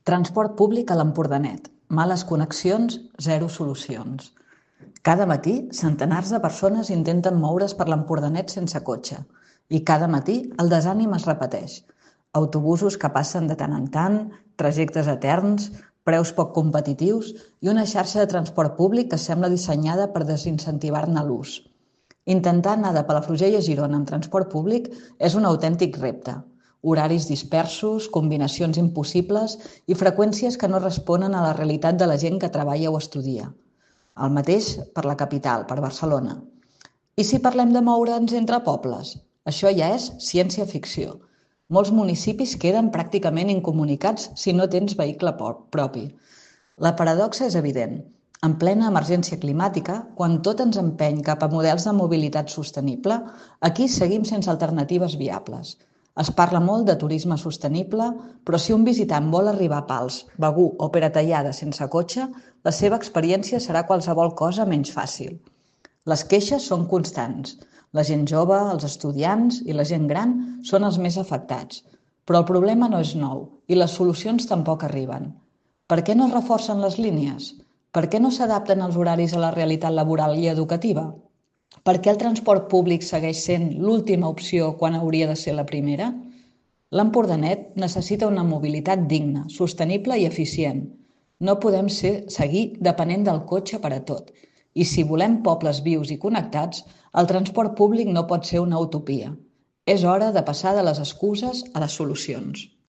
Transport públic a l'Empordanet. Males connexions, zero solucions. Cada matí, centenars de persones intenten moure's per l'Empordanet sense cotxe. I cada matí el desànim es repeteix. Autobusos que passen de tant en tant, trajectes eterns, preus poc competitius i una xarxa de transport públic que sembla dissenyada per desincentivar-ne l'ús. Intentar anar de Palafrugell a Girona amb transport públic és un autèntic repte. Horaris dispersos, combinacions impossibles i freqüències que no responen a la realitat de la gent que treballa o estudia. El mateix per la capital, per Barcelona. I si parlem de moure'ns entre pobles? Això ja és ciència-ficció. Molts municipis queden pràcticament incomunicats si no tens vehicle propi. La paradoxa és evident. En plena emergència climàtica, quan tot ens empeny cap a models de mobilitat sostenible, aquí seguim sense alternatives viables. Es parla molt de turisme sostenible, però si un visitant vol arribar a Pals, Begur o Peratallada sense cotxe, la seva experiència serà qualsevol cosa menys fàcil. Les queixes són constants. La gent jove, els estudiants i la gent gran són els més afectats. Però el problema no és nou i les solucions tampoc arriben. Per què no es reforcen les línies? Per què no s'adapten els horaris a la realitat laboral i educativa? Per què el transport públic segueix sent l'última opció quan hauria de ser la primera? L'Empordanet necessita una mobilitat digna, sostenible i eficient. No podem seguir depenent del cotxe per a tot. I si volem pobles vius i connectats, el transport públic no pot ser una utopia. És hora de passar de les excuses a les solucions.